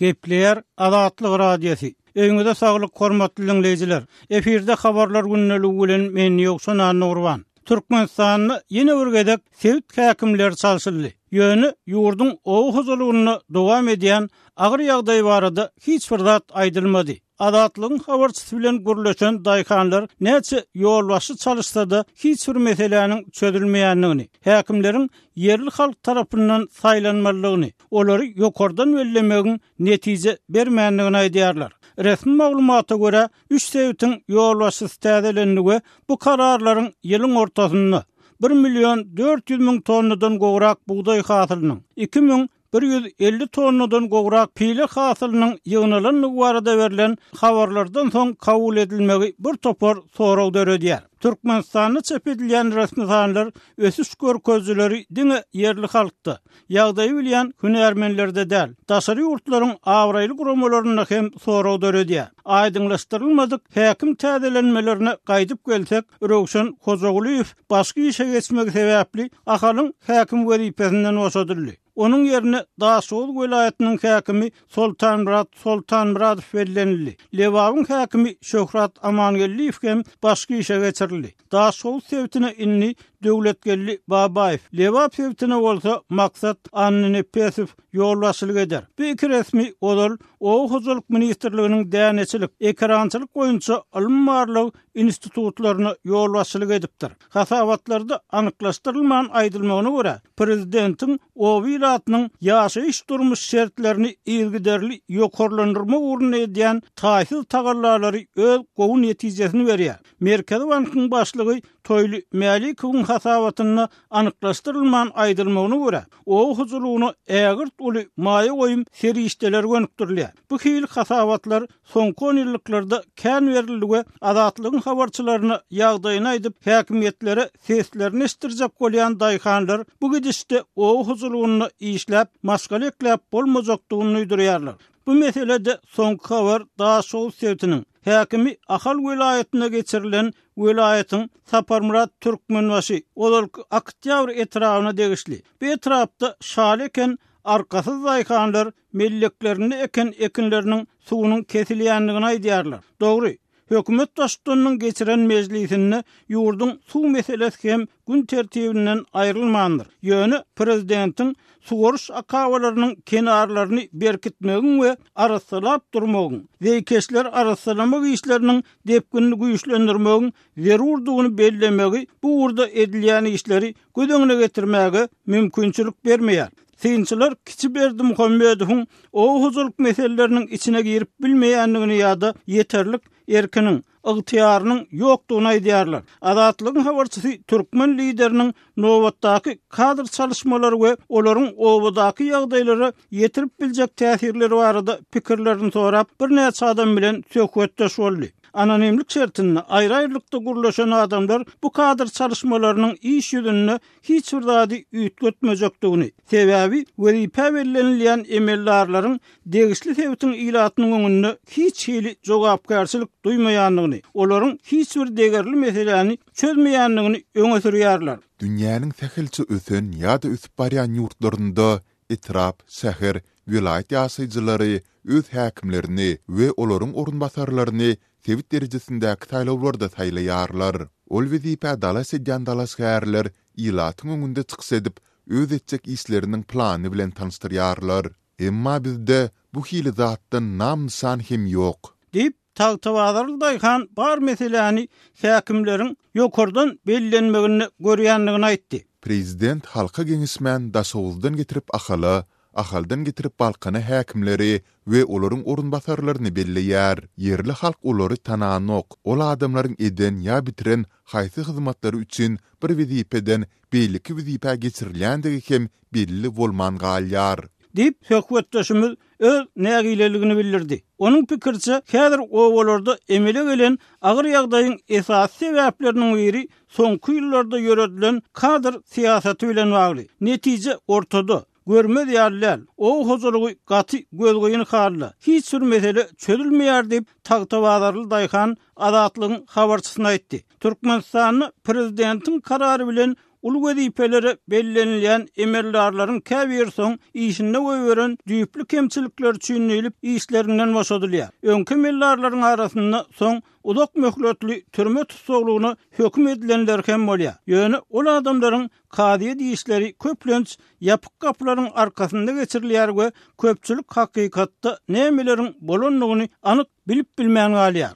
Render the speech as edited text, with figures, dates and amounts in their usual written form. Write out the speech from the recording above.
Gepleýär Azatlyk Radiosy. Öýüňize saglyk hormatly diňleýjiler. Efirde habarlar gündeligi bilen men Ýowşan Annagurban. Türkmenistanda ýene bir gezek sebit häkimleri çalşyldy. Ýöne ýurduň oba hojalygynda dowam edýän agyr ýagdaý barada hiç bir zat aýdylmady. Azatlygyň habarçysy bilen gürleşen daýhanlar näçe ýolbaşçy çalyşsa-da hiç bir meseläniň çözülmeýändigini, häkimleriň ýerli halk tarapyndan saýlanmalydygyny, olary ýokardan bellemegiň netije bermändigini aýdýarlar. Resmi maglumata görä, üç sebitiň ýolbaşçysy täzelendi we bu kararlaryň ýylyň ortasynda bir million 400 müň tonnadan gowrak bugdaý hasylynyň, 2150 tonnadan gowrak pile hasylynyň ýygnalandygy barada berlen habarlardan soň kabul edilmegi bir topar sorag döredýär. Türkmenistanda çap edilýän resmi sanlar ösüş görkezijileri diňe ýerli halkda, ýagdaýy bilýän hünärmenlerde däl, daşary ýurtlaryň abraýly guramalarynda hem sorag döredýär. Aýdyňlaşdyrylmadyk häkim täzelenmelerine gaýdyp gelsek, Röwşen Hojagulyýew başga işe geçmegi sebäpli Ahalyň häkim wezipesinden boşadyldy. Onuň ýerine Daşoguz welaýatynyň häkimi Soltanmyrat Soltanmyradow bellenildi. Lebabyň häkimi Şöhrat Amangeldiýew hem başga işe geçirildi. Daşhowuz sebitine indi Döwletgeldi Babaýew, Lebap sebitine bolsa Maksat Annanepesow ýolbaşçylyk eder. Bu iki resmi ozal Oba hojalyk ministrliginiň däneçilik, ekerançylyk boýunça ylmy-barlag institutlaryna ýolbaşçylyk edipdir. Hasabatlarda anyklaşdyrylman aýdylmagyna görä, prezidentiň oba ilatynyň ýaşaýyş-durmuş şertlerini yzygiderli ýokarlandyrmak ugrunda edýän taýsyz tagallalary öz gowy netijesini berýär. Merkezi bankyň başlygy Toýly Mälikowyň hasabatynda anyklaşdyrylman aýdylmagyna görä, oba hojalygyna ägirt uly maýa goýum serişdeleri gönükdirilýär. Bu hili hasabatlar soňky onýyllyklarda kän berildi we Azatlygyň habarçylaryna ýagdaýyny aýdyp, häkimiýetlere seslerini eşitdirjek bolýan daýhanlar bu gidişde oba hojalygynda işläp, maşgala ekläp bolmajakdygyny duýdurýarlar. Bu meselede soňky habar Daşoguz sebitiniň häkimi Ahal welaýatyna geçirilen welaýatyň Saparmyrat Türkmenbaşy, ozalky Oktýabr etrabyna degişli. Bu etrapda şaly eken arkasyz daýhanlar melleklerinde eken ekinleriniň suwunyň kesilýändigini aýdýarlar. Dogry, hökümet baştutanynyň geçiren mejlisinde ýurduň suw meselesi hem gün tertibinden aýrylmandyr. Ýöne prezidentiň suwaryş akabalarynyň kenarlaryny berkitmegiň we arassalap durmagyň, zeýkeşleri arassalamak işleriniň depginini güýçlendirmegiň zerurdygyny bellemegi bu ugurda edilýän işleri göz öňüne getirmäge mümkinçilik bermeýär. Synçylar kiçi Berdimuhamedowyň oba hojalyk meseleleriniň içine girip bilmeýändigini ýa-da ýeterlik erkiniň, ygtyýarynyň ýokdugyny aýdýarlar. Azatlygyň habarçysy türkmen lideriniň nobatdaky kadr çalyşmalary we olaryň obadaky ýagdaýlara ýetirip biljek täsirleri barada pikirlerini sorap, birnäçe adam bilen söhbetdeş boldy. Anonimlik şertinde aýry-aýrylykda gürleşen adamlar bu kadr çalyşmalarynyň iş ýüzünde hiç bir zady üýtgetmejekdigini, sebäbi wezipä bellenilýän emeldarlaryň degişli sebitiň ilatynyň öňünde hiç hili jogapkärçilik duýmaýandygyny, olaryň hiç bir degerli meseläni çözmeýändigini öňe sürýärler. Dünýäniň sähelçe ösen ýa-da ösüp barýan ýurtlarynda etrap, şäher, welaýat ýaşaýjylary öz häkimlerini we olaryň orunbasarlaryny sebit derejesindäki saýlawlarda saýlaýarlar. Ol wezipä dalaş edýän dalaşgärler ilatyň öňünde çykyş edip, öz etjek işleriniň plany bilen tanyşdyrýarlar. Emma bizde bu hili zatdan nam-nyşan hem ýok. Diýip, tagtabazarly daýhan bar meseläni häkimleriň ýokardan bellenmeginde görýändigini aýtdy. Prezident halka geňeşmän Daşoguzdan getirip Ahala, Ahaldan getirip Balkana häkimleri we olaryň orunbasarlaryny belleýär. Ýerli halk olary tananok. Ol adamlaryň eden ýa bitiren haýsy hyzmatlary üçin bir wezipeden beýleki wezipä geçirilýändigi hem belli bolman galýar. Diýip, söhbetdeşimiz öz nägileligini bildirdi. Onuň pikiriçe, häzir obalarda emele gelen agyr ýagdaýyň esasy sebäpleriniň biri soňky ýyllarda ýöredilen kadr syýasaty bilen bagly. Netije ortada. Görmez ýaly däl. Oba hojalygy gaty gözgyny halda. Hiç bir mesele çözülmeýär diýip, tagtabazarly daýhan Azatlygyň habarçysyna aýtdy. Türkmenistanda prezidentiň karary bilen. Uly wezipelere bellenilýän emeldarlaryň käbiri soň işinde goýberen düýpli kemçilikleri üçin diýlip işlerinden boşadylýar. Öňki emeldarlaryň arasynda soň uzak möhletli türme tussaglygyna höküm edilenler hem bolýar. Ýöne ol adamlaryň kazyýet işleri köplenç ýapyk gapylaryň arkasynda geçirilýär we köpçülik hakykatda nämeleriň bolandygyny anyk bilip bilmän galýar.